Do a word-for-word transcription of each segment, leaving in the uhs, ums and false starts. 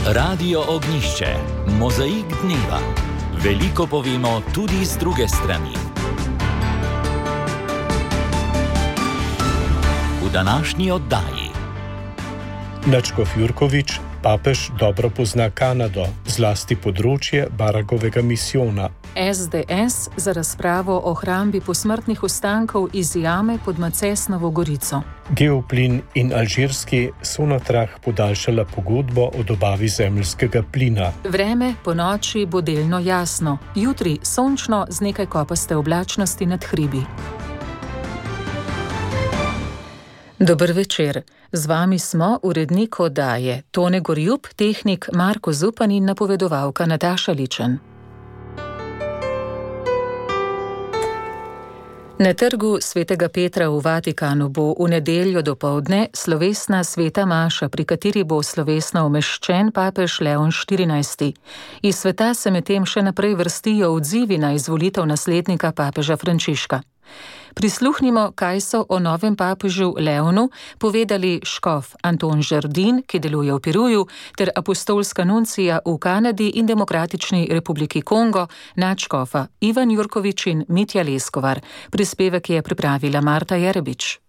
Radio Ognišče, mozaik dneva. Veliko povemo tudi z druge strani. V današnji oddaji. Nadškof Jurkovič, papež dobro pozna Kanado, zlasti področje Baragovega misijona. S D S za razpravo o hrambi posmrtnih ostankov iz jame pod Macesnovo Gorico. Geoplin in Alžirski so na trah podaljšala pogodbo o dobavi zemeljskega plina. Vreme po noči bo delno jasno, jutri sončno z nekaj kopaste oblačnosti nad hribi. Dober večer. Z vami smo urednik oddaje Tone Gorjup, tehnik Marko Zupan in napovedovalka Nataša Ličen. Na trgu svetega Petra v Vatikanu bo v nedeljo dopoldne slovesna sveta maša, pri kateri bo slovesno umeščen papež Leon štirinajsti. Iz sveta se medtem še naprej vrstijo odzivi na izvolitev naslednika papeža Frančiška. Prisluhnimo, kaj so o novem papežu Leonu povedali škof Anton Žerdin, ki deluje v Peruju, ter apostolska nuncija v Kanadi in Demokratični republiki Kongo, nadškofa Ivan Jurkovič in Mitja Leskovar. Prispevek je pripravila Marta Jerebič.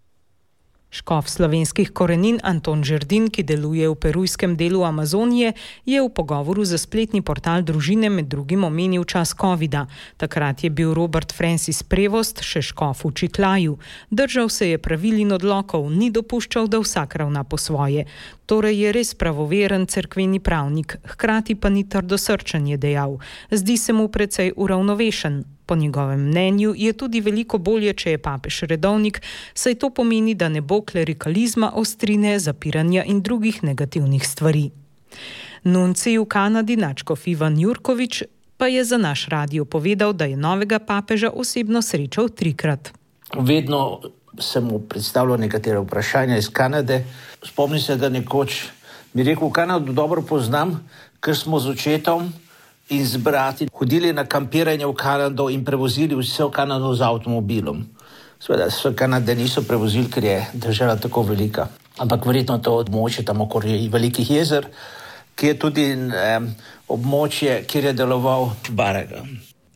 Škof slovenskih korenin Anton Žerdin, ki deluje v perujskem delu Amazonije, je v pogovoru za spletni portal Družine med drugim omenil čas covida. Takrat je bil Robert Francis Prevost še škof v Čiklaju. Držal se je pravil in odlokov, ni dopuščal, da vsak ravna po svoje. Torej je res pravoveren cerkveni pravnik, hkrati pa ni trdosrčen, je dejal. Zdi se mu precej uravnovešen. Po njegovem mnenju je tudi veliko bolje, če je papež redovnik, saj to pomeni, da ne bo klerikalizma, ostrine, zapiranja in drugih negativnih stvari. Nuncij v Kanadi, nadškof Ivan Jurkovič, pa je za naš radio povedal, da je novega papeža osebno srečal trikrat. Vedno sem mu predstavljal nekatere vprašanja iz Kanade. Spomnim se, da nekoč mi rekel, v Kanado dobro poznam, ker smo z očetom in z brati hodili na kampiranje v Kanado in prevozili vse v Kanado z avtomobilom. Seveda, vse Kanade niso prevozili, ker je država tako velika. Ampak verjetno to območje tam okoli velikih jezer, ki je tudi eh, območje, kjer je deloval Baraga.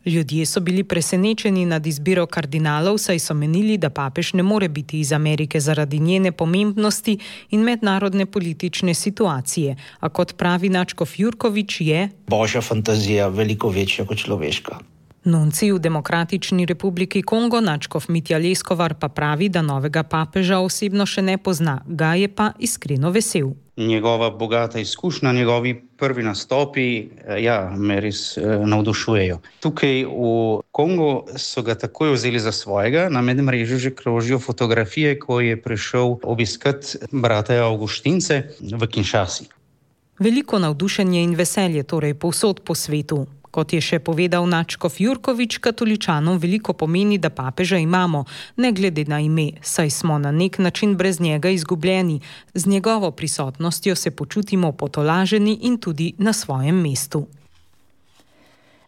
Ljudje so bili presenečeni nad izbiro kardinalov, saj so menili, da papež ne more biti iz Amerike zaradi njene pomembnosti in mednarodne politične situacije. A kot pravi nadškof Jurkovič je Božja fantazija veliko večja kot človeška. Nuncij v Demokratični republiki Kongo, nadškof Mitja Leskovar, pa pravi, da novega papeža osebno še ne pozna, ga je pa iskreno vesel. Njegova bogata izkušnja, njegovi prvi nastopi, ja, me res eh, navdušujejo. Tukaj v Kongu so ga takoj vzeli za svojega, na medmrežju že krožijo fotografije, ko je prišel obiskat brata Avguštince v Kinshasi. Veliko navdušenje in veselje torej povsod po svetu. Kot je še povedal nadškof Jurkovič, katoličanom veliko pomeni, da papeža imamo, ne glede na ime, saj smo na nek način brez njega izgubljeni. Z njegovo prisotnostjo se počutimo potolaženi in tudi na svojem mestu.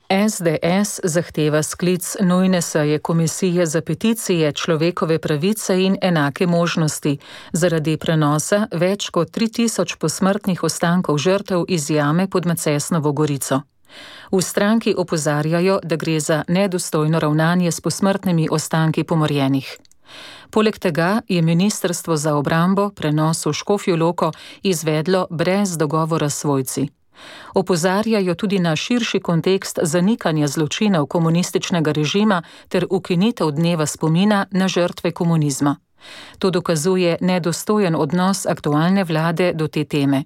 S D S zahteva sklic nujne seje Komisije za peticije, človekove pravice in enake možnosti zaradi prenosa več kot tri tisoč posmrtnih ostankov žrtev iz jame pod Macesnovo Gorico. V stranki opozarjajo, da gre za nedostojno ravnanje s posmrtnimi ostanki pomorjenih. Poleg tega je Ministrstvo za obrambo prenos v Škofjo Loko izvedlo brez dogovora s svojci. Opozarjajo tudi na širši kontekst zanikanja zločinov komunističnega režima ter ukinitev dneva spomina na žrtve komunizma. To dokazuje nedostojen odnos aktualne vlade do te teme.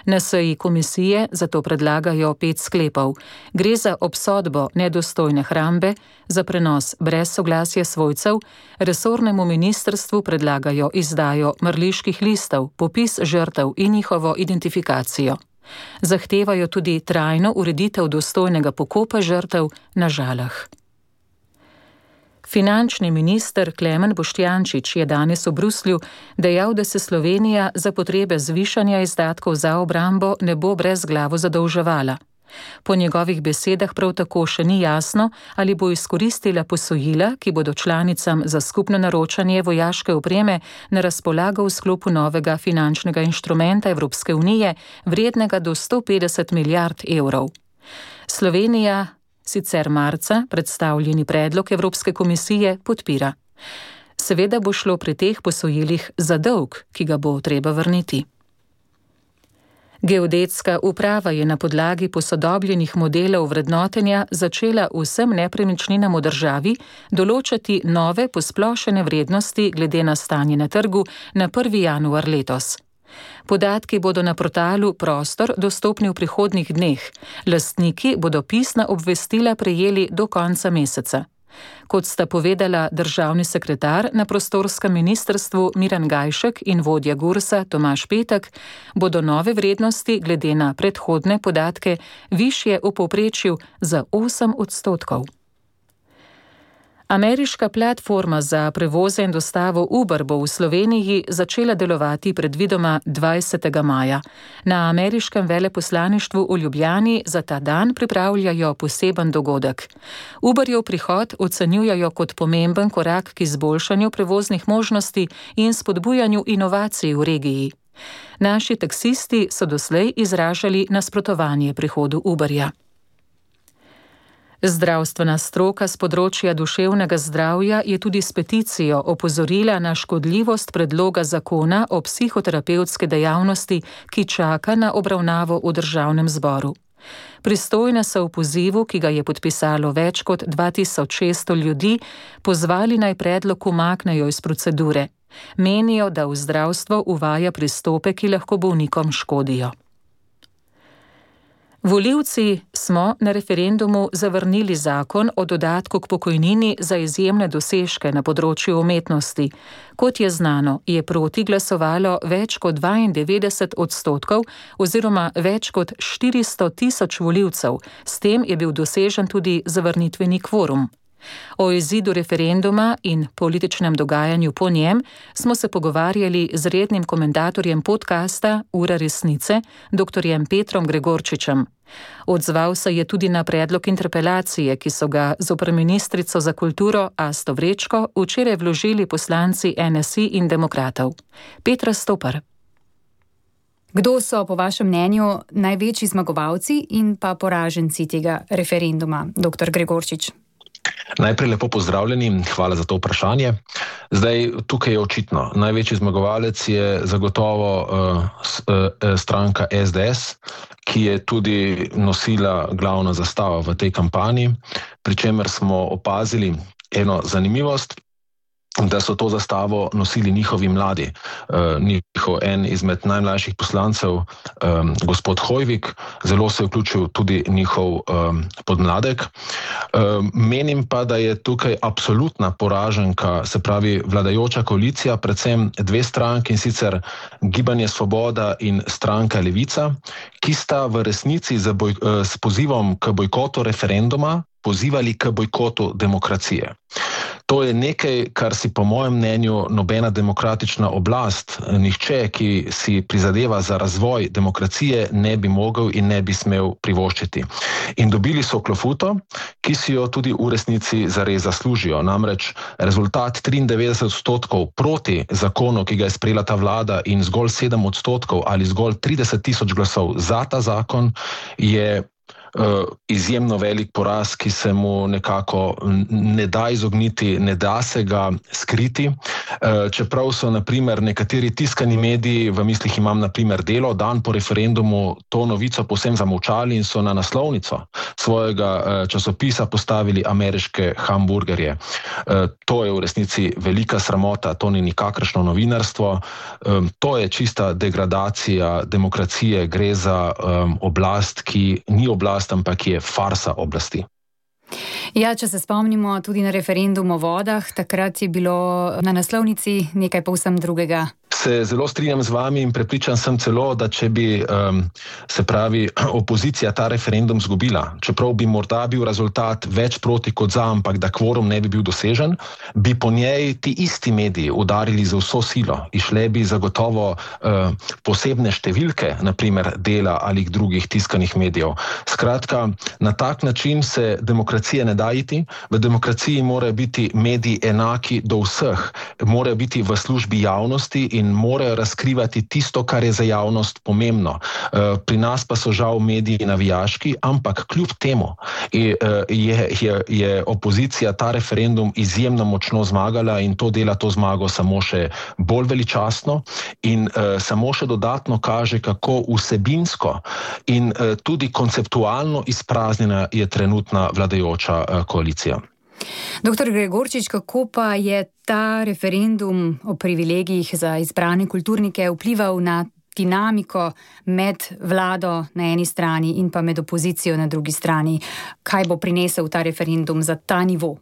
Na seji komisije zato predlagajo pet sklepov. Gre za obsodbo nedostojne hrambe, za prenos brez soglasja svojcev, resornemu ministrstvu predlagajo izdajo mrliških listov, popis žrtev in njihovo identifikacijo. Zahtevajo tudi trajno ureditev dostojnega pokopa žrtev na Žalah. Finančni minister Klemen Boštjančič je danes v Bruslju dejal, da se Slovenija za potrebe zvišanja izdatkov za obrambo ne bo brezglavo zadolževala. Po njegovih besedah prav tako še ni jasno, ali bo izkoristila posojila, ki bodo članicam za skupno naročanje vojaške opreme na razpolago v sklopu novega finančnega inštrumenta Evropske unije, vrednega do sto petdeset milijard evrov. Slovenija sicer marca predstavljeni predlog Evropske komisije podpira. Seveda bo šlo pri teh posojilih za dolg, ki ga bo treba vrniti. Geodetska uprava je na podlagi posodobljenih modelov vrednotenja začela vsem nepremičninam v državi določati nove posplošene vrednosti glede na stanje na trgu na prvi januar letos. Podatki bodo na portalu Prostor dostopni v prihodnjih dneh. Lastniki bodo pisna obvestila prejeli do konca meseca. Kot sta povedala državni sekretar na prostorskem ministrstvu Miran Gajšek in vodja Gursa Tomaž Petek, bodo nove vrednosti glede na predhodne podatke višje v povprečju za osem odstotkov. Ameriška platforma za prevoze in dostavo Uber bo v Sloveniji začela delovati predvidoma dvajsetega maja. Na ameriškem veleposlaništvu v Ljubljani za ta dan pripravljajo poseben dogodek. Uberjev prihod ocenjujejo kot pomemben korak k izboljšanju prevoznih možnosti in spodbujanju inovacij v regiji. Naši taksisti so doslej izražali nasprotovanje prihodu Uberja. Zdravstvena stroka s področja duševnega zdravja je tudi s peticijo opozorila na škodljivost predloga zakona o psihoterapevtske dejavnosti, ki čaka na obravnavo v državnem zboru. Pristojne so v pozivu, ki ga je podpisalo več kot dva tisoč šeststo ljudi, pozvali naj predlog umaknejo iz procedure. Menijo, da v zdravstvo uvaja pristope, ki lahko bolnikom škodijo. Volivci smo na referendumu zavrnili zakon o dodatku k pokojnini za izjemne dosežke na področju umetnosti. Kot je znano, je proti glasovalo več kot dvaindevetdeset odstotkov oziroma več kot štiristo tisoč volivcev. S tem je bil dosežen tudi zavrnitveni kvorum. O izidu referenduma in političnem dogajanju po njem smo se pogovarjali z rednim komentatorjem podcasta Ura resnice, doktorjem Petrom Gregorčičem. Odzval se je tudi na predlog interpelacije, ki so ga zoper ministrico za kulturo Asto Vrečko včeraj vložili poslanci N S I in demokratov. Petra Stopar. Kdo so po vašem mnenju največji zmagovalci in pa poraženci tega referenduma, doktor Gregorčič? Najprej lepo pozdravljeni, hvala za to vprašanje. Zdaj, tukaj je očitno, največji zmagovalec je zagotovo uh, uh, stranka S D S, ki je tudi nosila glavna zastava v tej kampanji, pri čemer smo opazili eno zanimivost, da so to zastavo nosili njihovi mladi. Uh, njihov en izmed najmlajših poslancev, um, gospod Hojvik, zelo se je vključil tudi njihov um, podmladek. Um, menim pa, da je tukaj absolutna poraženka, se pravi vladajoča koalicija, predvsem dve stranki, in sicer Gibanje Svoboda in stranka Levica, ki sta v resnici z, boj, uh, s pozivom k bojkotu referenduma pozivali k bojkotu demokracije. To je nekaj, kar si po mojem mnenju nobena demokratična oblast, nihče, ki si prizadeva za razvoj demokracije, ne bi mogel in ne bi smel privoščiti. In dobili so klofuto, ki si jo tudi v resnici zares zaslužijo. Namreč rezultat triindevetdeset odstotkov proti zakonu, ki ga je sprejela ta vlada, in zgolj sedem odstotkov ali zgolj trideset tisoč glasov za ta zakon je Uh, izjemno velik poraz, ki se mu nekako ne da izogniti, ne da se ga skriti. Uh, čeprav so naprimer nekateri tiskani mediji, v mislih imam naprimer Delo, dan po referendumu to novico povsem zamolčali in so na naslovnico svojega uh, časopisa postavili ameriške hamburgerje. Uh, to je v resnici velika sramota, to ni nikakršno novinarstvo, um, to je čista degradacija demokracije, gre za um, oblast, ki ni oblast, ampak je farsa oblasti. Ja, če se spomnimo tudi na referendum o vodah, takrat je bilo na naslovnici nekaj povsem drugega. se zelo strinjam z vami in prepričan sem celo, da če bi um, se pravi opozicija ta referendum zgubila, čeprav bi morda bil rezultat več proti kot za, ampak da kvorum ne bi bil dosežen, bi po njej ti isti mediji udarili za vso silo. Išle bi zagotovo uh, posebne številke, naprimer Dela ali drugih tiskanih medijev. Skratka, na tak način se demokracija ne da iti. V demokraciji morajo biti mediji enaki do vseh, morajo biti v službi javnosti in morajo razkrivati tisto, kar je za javnost pomembno. Pri nas pa so žal mediji navijaški, ampak kljub temu je, je, je opozicija ta referendum izjemno močno zmagala in to dela to zmago samo še bolj veličastno in uh, samo še dodatno kaže, kako vsebinsko in uh, tudi konceptualno izpraznjena je trenutna vladajoča uh, koalicija. Doktor Gregorčič, kako pa je ta referendum o privilegijih za izbrane kulturnike vplival na dinamiko med vlado na eni strani in pa med opozicijo na drugi strani? Kaj bo prinesel ta referendum za ta nivo?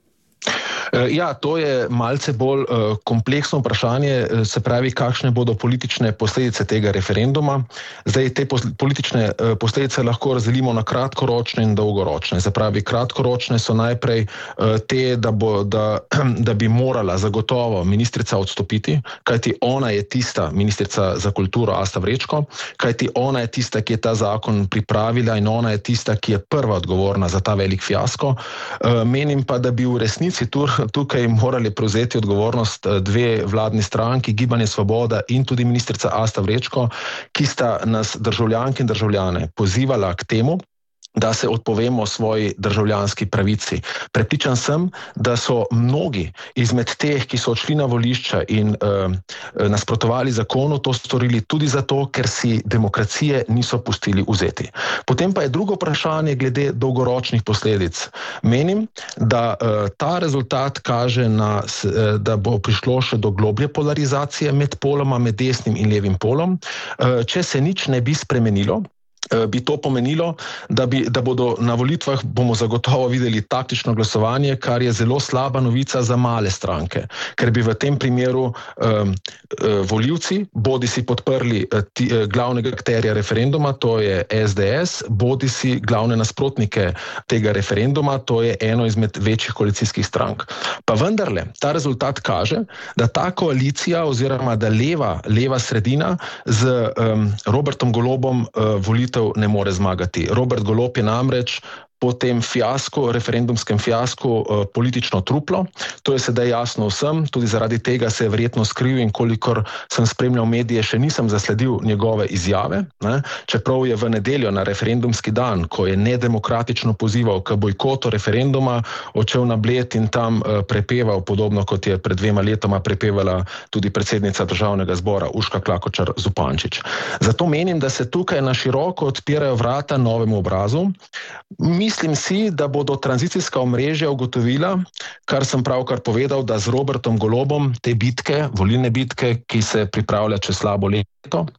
Ja, to je malce bolj uh, kompleksno vprašanje, se pravi, kakšne bodo politične posledice tega referenduma. Zdaj, te pos- politične uh, posledice lahko razdelimo na kratkoročne in dolgoročne. Se pravi, kratkoročne so najprej uh, te, da, bo, da, da bi morala zagotovo ministrica odstopiti, kajti ona je tista, ministrica za kulturo Asta Vrečko, kajti ona je tista, ki je ta zakon pripravila in ona je tista, ki je prva odgovorna za ta velik fiasko. Uh, menim pa, da bi v resnici tu tukaj morali prevzeti odgovornost dve vladni stranki, Gibanje Svoboda in tudi ministrica Asta Vrečko, ki sta nas državljanke in državljane pozivala k temu, da se odpovemo svoji državljanski pravici. Prepričan sem, da so mnogi izmed teh, ki so odšli na volišča in uh, nasprotovali zakonu, to storili tudi zato, ker si demokracije niso pustili vzeti. Potem pa je drugo vprašanje glede dolgoročnih posledic. Menim, da uh, ta rezultat kaže, na, uh, da bo prišlo še do globlje polarizacije med poloma, med desnim in levim polom. Uh, če se nič ne bi spremenilo, bi to pomenilo, da, bi, da bodo na volitvah bomo zagotovo videli taktično glasovanje, kar je zelo slaba novica za male stranke, ker bi v tem primeru um, volivci bodi si podprli ti, glavnega akterja referenduma, to je S D S, bodi si glavne nasprotnike tega referenduma, to je eno izmed večjih koalicijskih strank. Pa vendarle, ta rezultat kaže, da ta koalicija oziroma da leva, leva sredina z um, Robertom Golobom uh, volitev ne more zmagati. Robert Golob je namreč po tem fiasku, referendumskem fiasku, politično truplo. To je sedaj jasno vsem, tudi zaradi tega se je verjetno skril in kolikor sem spremljal medije, še nisem zasledil njegove izjave. Ne? Čeprav je v nedeljo na referendumski dan, ko je nedemokratično pozival k bojkotu referenduma, odšel na Bled in tam prepeval, podobno kot je pred dvema letoma prepevala tudi predsednica državnega zbora Urška Klakočar Zupančič. Zato menim, da se tukaj na široko odpirajo vrata novemu obrazu. Mislim si, da bodo tranzicijska omrežja ugotovila, kar sem pravkar povedal, da z Robertom Golobom te bitke, volilne bitke, ki se pripravlja čez slabo leto,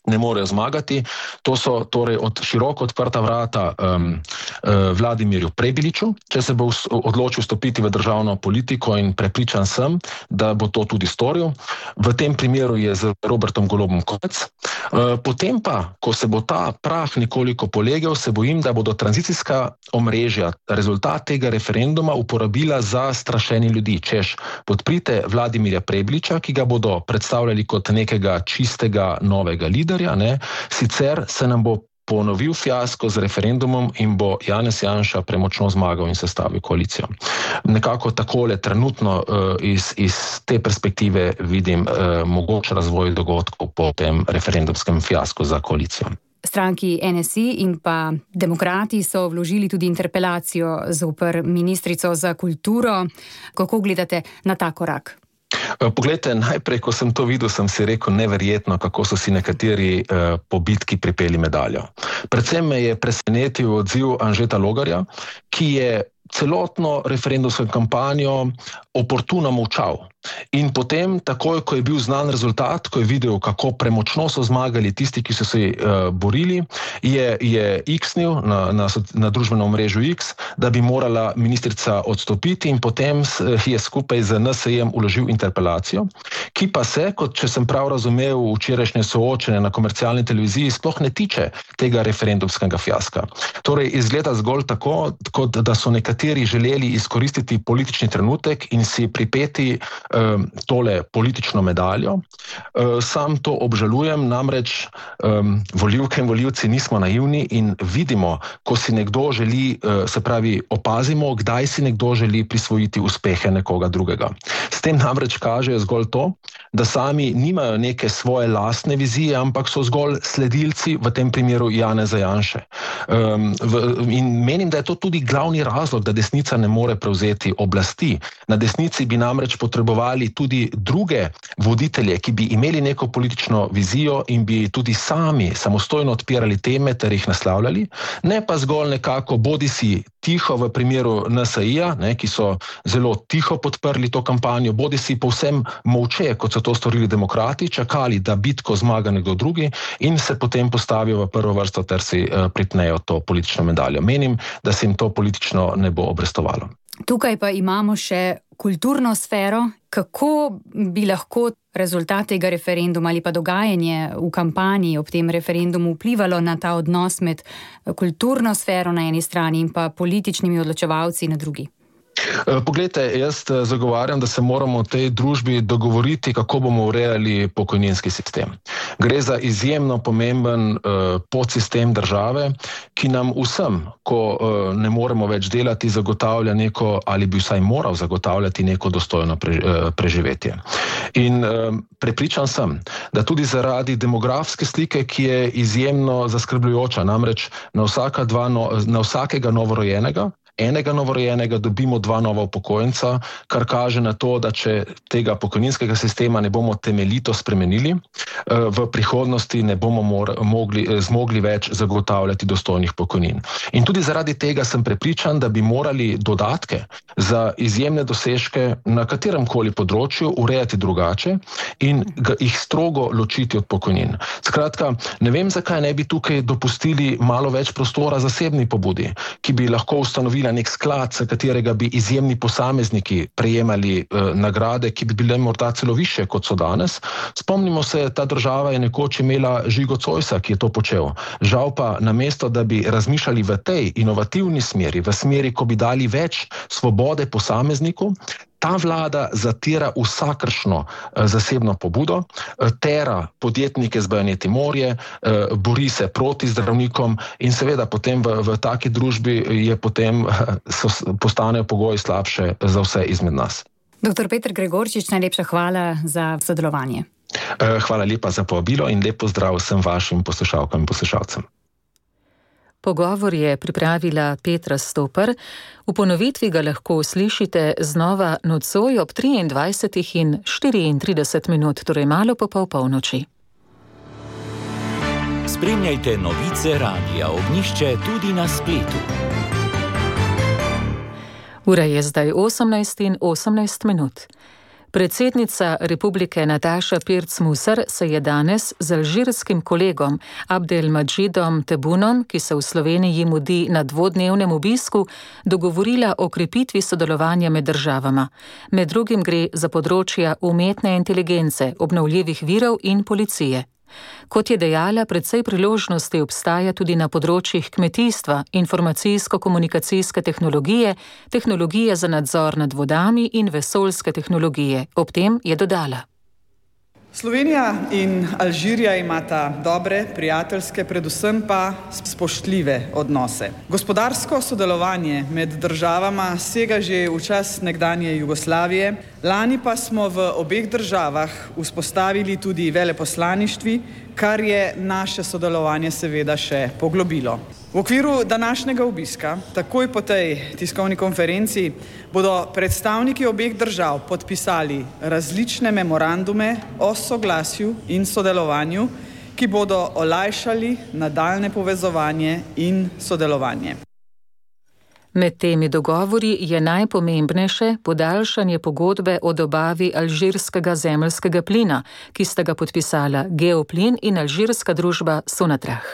ne morejo zmagati. To so torej od široko odprta vrata um, uh, Vladimirju Prebiliču, če se bo odločil vstopiti v državno politiko in prepričan sem, da bo to tudi storil. V tem primeru je z Robertom Golobom konec. Uh, potem pa, ko se bo ta prah nekoliko polegel, se bojim, da bodo tranzicijska omrežja rezultat tega referenduma uporabila za strašenje ljudi, češ podprite Vladimirja Prebiliča, ki ga bodo predstavljali kot nekega čistega novega lidera. Ne? Sicer se nam bo ponovil fiasko z referendumom in bo Janez Janša premočno zmagal in sestavil koalicijo. Nekako takole trenutno uh, iz, iz te perspektive vidim uh, mogoč razvoj dogodkov po tem referendumskem fiasku za koalicijo. Stranki N S I in pa demokrati so vložili tudi interpelacijo zoper ministrico za kulturo. Kako gledate na ta korak? Poglejte, najprej, ko sem to videl, sem si rekel neverjetno, kako so si nekateri eh, po bitki pripeli medaljo. Predvsem me je presenetil odziv Anžeta Logarja, ki je celotno referendumsko kampanjo oportuno molčal. in potem, takoj, ko je bil znan rezultat, ko je videl, kako premočno so zmagali tisti, ki so se uh, borili, je, je X-nil na, na, na družbenem omrežju X, da bi morala ministrica odstopiti in potem je skupaj z N S I-jem uložil interpelacijo, ki pa se, kot če sem prav razumel včerajšnje soočenje na komercialni televiziji, sploh ne tiče tega referendumskega fiaska. Torej, izgleda zgolj tako, kot da so nekateri želeli izkoristiti politični trenutek in si pripeti um, tole politično medaljo. Um, sam to obžalujem, namreč um, volivke in volivci nismo naivni in vidimo, ko si nekdo želi, uh, se pravi, opazimo, kdaj si nekdo želi prisvojiti uspehe nekoga drugega. S tem namreč kažejo zgolj to, da sami nimajo neke svoje lastne vizije, ampak so zgolj sledilci, v tem primeru Janeza Janše. Um, v, in menim, da je to tudi glavni razlog, da desnica ne more prevzeti oblasti. Na desnici bi namreč potrebovali tudi druge voditelje, ki bi imeli neko politično vizijo in bi tudi sami samostojno odpirali teme ter jih naslavljali, ne pa zgolj nekako bodisi tiho v primeru N S I-ja, ne, ki so zelo tiho podprli to kampanjo, bodisi povsem molče, kot so to storili demokrati, čakali, da bitko zmaga nekdo drugi in se potem postavijo v prvo vrsto ter si uh, pritnejo to politično medaljo. Menim, da se jim to politično ne bo obrestovalo. Tukaj pa imamo še kulturno sfero. Kako bi lahko rezultat tega referenduma ali pa dogajanje v kampanji ob tem referendumu vplivalo na ta odnos med kulturno sfero na eni strani in pa političnimi odločevalci na drugi? Poglejte, jaz zagovarjam, da se moramo v tej družbi dogovoriti, kako bomo urejali pokojninski sistem. Gre za izjemno pomemben uh, podsistem države, ki nam vsem, ko uh, ne moremo več delati, zagotavlja neko, ali bi vsaj moral zagotavljati neko dostojno pre, uh, preživetje. In uh, prepričan sem, da tudi zaradi demografske slike, ki je izjemno zaskrbljujoča, namreč na, vsaka dva no, na vsakega novorojenega, enega novorojenega dobimo dva nova upokojenca, kar kaže na to, da če tega pokojninskega sistema ne bomo temeljito spremenili, v prihodnosti ne bomo mogli, zmogli več zagotavljati dostojnih pokojnin. In tudi zaradi tega sem prepričan, da bi morali dodatke za izjemne dosežke na kateremkoli področju urejati drugače in jih strogo ločiti od pokojnin. Skratka, ne vem, zakaj ne bi tukaj dopustili malo več prostora zasebni pobudi, ki bi lahko ustanovili nek sklad, s katerega bi izjemni posamezniki prejemali eh, nagrade, ki bi bile morda celo više, kot so danes. Spomnimo se, ta država je nekoč imela Žigo Zoisa, ki je to počel. Žal pa, namesto da bi razmišljali v tej inovativni smeri, v smeri, ko bi dali več svobode posamezniku, ta vlada zatira vsakršno eh, zasebno pobudo, eh, tera podjetnike z bajoneti morje, eh, bori se proti zdravnikom in seveda potem v, v taki družbi je potem eh, so, postanejo pogoji slabše za vse izmed nas. Doktor Peter Gregorčič, najlepša hvala za sodelovanje. Eh, hvala lepa za povabilo in lep pozdrav vsem vašim poslušalkam in poslušalcem. Pogovor je pripravila Petra Stoper. V ponovitvi ga lahko slišite znova nocoj ob triindvajsetih in štiriintrideset minut, torej malo po pol polnoči. Spremljajte novice Radia Ognjišče tudi na spletu. Ura je zdaj osemnajst in osemnajst minut. Predsednica republike Nataša Pirc-Musar se je danes z alžirskim kolegom Abdelmadžidom Tebbunom, ki se v Sloveniji mudi na dvodnevnem obisku, dogovorila o krepitvi sodelovanja med državama. Med drugim gre za področja umetne inteligence, obnovljivih virov in policije. Kot je dejala, precej priložnosti obstaja tudi na področjih kmetijstva, informacijsko-komunikacijske tehnologije, tehnologije za nadzor nad vodami in vesoljske tehnologije. Ob tem je dodala: Slovenija in Alžirija imata dobre, prijateljske, predvsem pa spoštljive odnose. Gospodarsko sodelovanje med državama sega že v čas nekdanje Jugoslavije, lani pa smo v obeh državah vzpostavili tudi veleposlaništvi, kar je naše sodelovanje seveda še poglobilo. V okviru današnjega obiska, takoj po tej tiskovni konferenci, bodo predstavniki obeh držav podpisali različne memorandume o soglasju in sodelovanju, ki bodo olajšali nadaljnje povezovanje in sodelovanje. Med temi dogovori je najpomembnejše podaljšanje pogodbe o dobavi alžirskega zemeljskega plina, ki sta ga podpisala Geoplin in alžirska družba Sonatrach.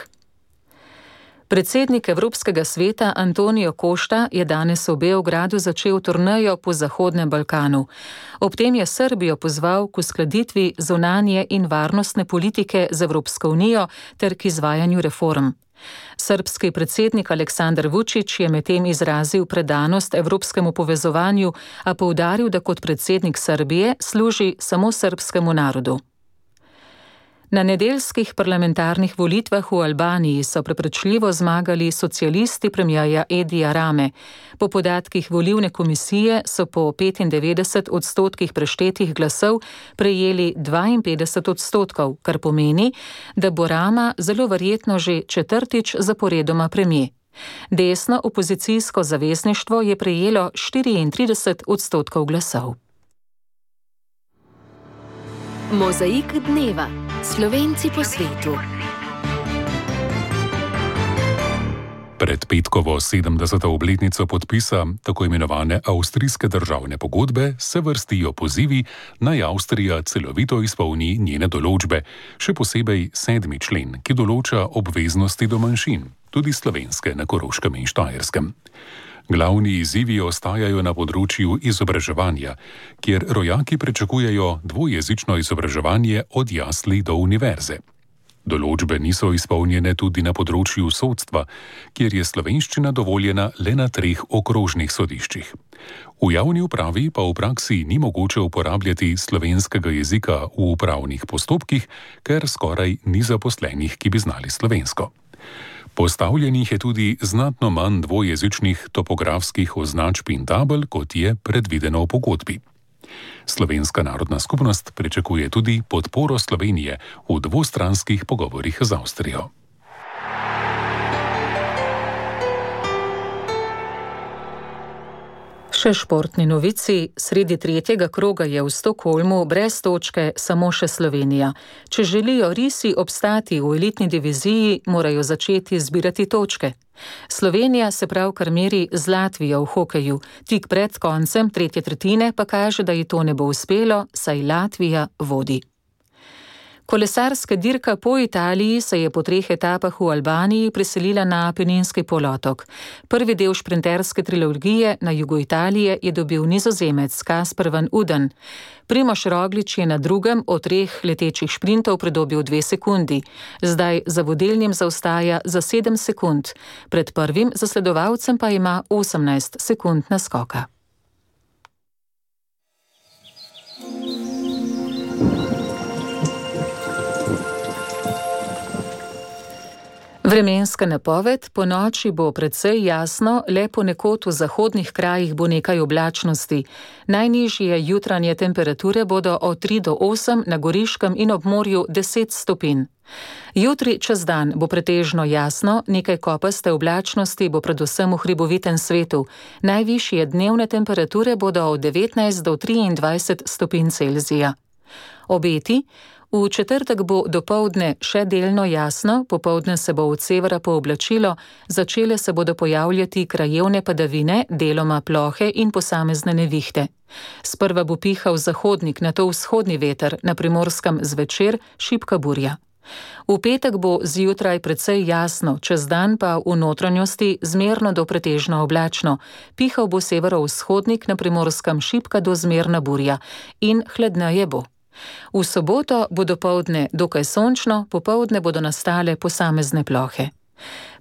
Predsednik Evropskega sveta Antonio Costa je danes v Beogradu začel turnejo po Zahodnem Balkanu. Ob tem je Srbijo pozval k uskladitvi zunanje in varnostne politike z Evropsko unijo ter k izvajanju reform. Srbski predsednik Aleksandar Vučić je medtem izrazil predanost evropskemu povezovanju, a poudaril, da kot predsednik Srbije služi samo srbskemu narodu. Na nedeljskih parlamentarnih volitvah v Albaniji so prepričljivo zmagali socialisti premierja Edija Rame. Po podatkih volilne komisije so po petindevetdeset odstotkih preštetih glasov prejeli dvainpetdeset odstotkov, kar pomeni, da bo Rama zelo verjetno že četrtič zaporedoma premijer. Desno opozicijsko zavezništvo je prejelo štiriintrideset odstotkov glasov. Mozaik dneva. Slovenci po svetu. Pred petkovo sedemdeseto obletnico podpisa tako imenovane avstrijske državne pogodbe se vrstijo pozivi, naj Avstrija celovito izpolni njene določbe, še posebej sedmi člen, ki določa obveznosti do manjšin, tudi slovenske na Koroškem in Štajerskem. Glavni izzivi ostajajo na področju izobraževanja, kjer rojaki pričakujejo dvojezično izobraževanje od jasli do univerze. Določbe niso izpolnjene tudi na področju sodstva, kjer je slovenščina dovoljena le na treh okrožnih sodiščih. V javni upravi pa v praksi ni mogoče uporabljati slovenskega jezika v upravnih postopkih, ker skoraj ni zaposlenih, ki bi znali slovensko. Postavljenih je tudi znatno manj dvojezičnih topografskih označb in tabel, kot je predvideno v pogodbi. Slovenska narodna skupnost pričakuje tudi podporo Slovenije v dvostranskih pogovorih z Avstrijo. Še športni novici. Sredi tretjega kroga je v Stockholmu brez točke samo še Slovenija. Če želijo risi obstati v elitni diviziji, morajo začeti zbirati točke. Slovenija se pravkar meri z Latvijo v hokeju. Tik pred koncem tretje tretjine pa kaže, da ji to ne bo uspelo, saj Latvija vodi. Kolesarska dirka po Italiji se je po treh etapah v Albaniji preselila na Apeninski polotok. Prvi del šprinterske trilogije na jugu Italije je dobil Nizozemec Kasper van Uden. Primož Roglič je na drugem od treh letečih šprintov pridobil dve sekundi. Zdaj za vodilnim zaostaja za sedem sekund. Pred prvim zasledovalcem pa ima osemnajst sekund naskoka. Vremenska napoved: po noči bo precej jasno, le ponekod v zahodnih krajih bo nekaj oblačnosti. Najnižje jutranje temperature bodo od tri do osem, na Goriškem in ob morju deset stopinj. Jutri čez dan bo pretežno jasno, nekaj kopaste oblačnosti bo predvsem v hribovitem svetu. Najvišje dnevne temperature bodo od devetnajst do triindvajset stopinj Celzija. Obeti: v četrtek bo dopoldne še delno jasno, popoldne se bo od severa pooblačilo, začele se bodo pojavljati krajevne padavine, deloma plohe in posamezne nevihte. Sprva bo pihal zahodnik, nato vzhodni veter, na Primorskem zvečer šibka burja. V petek bo zjutraj precej jasno, čez dan pa v notranjosti zmerno do pretežno oblačno. Pihal bo severovzhodnik, na Primorskem šibka do zmerna burja in hladneje bo. V soboto bo dopoldne dokaj sončno, popoldne bodo nastale posamezne plohe.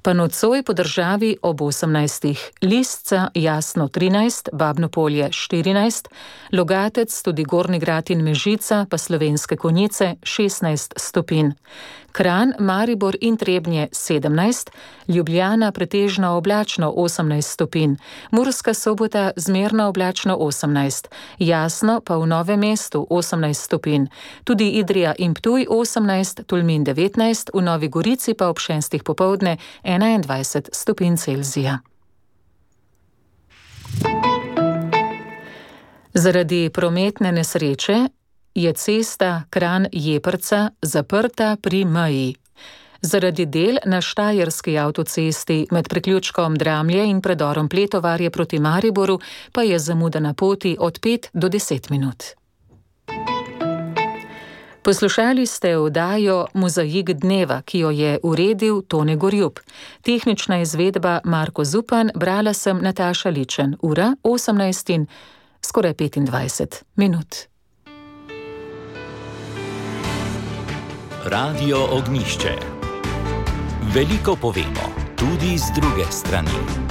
Pa nocoj po državi ob osemnajstih. Lisca jasno trinajst, Babno Polje štirinajst, Logatec, tudi Gornji Grad in Mežica, pa Slovenske Konjice šestnajst stopinj. Kranj, Maribor in Trebnje sedemnajst, Ljubljana pretežno oblačno osemnajst stopinj, Murska Sobota zmerno oblačno osemnajst, jasno pa v Novem mestu osemnajst stopinj, tudi Idrija in Ptuj osemnajst, Tolmin devetnajst, v Novi Gorici pa ob šestih popoldne enaindvajset stopinj Celzija. Zaradi prometne nesreče je cesta Kranj-Jeprca zaprta pri meji. Zaradi del na Štajerski avtocesti med priključkom Dramlje in predorom Pletovarje proti Mariboru pa je zamuda na poti od pet do deset minut. Poslušali ste oddajo Mozaik dneva, ki jo je uredil Tone Gorjup. Tehnična izvedba Marko Zupan, brala sem Nataša Ličen. Ura osemnajst in skoraj petindvajset minut. Radio Ognjišče. Veliko povemo, tudi z druge strani.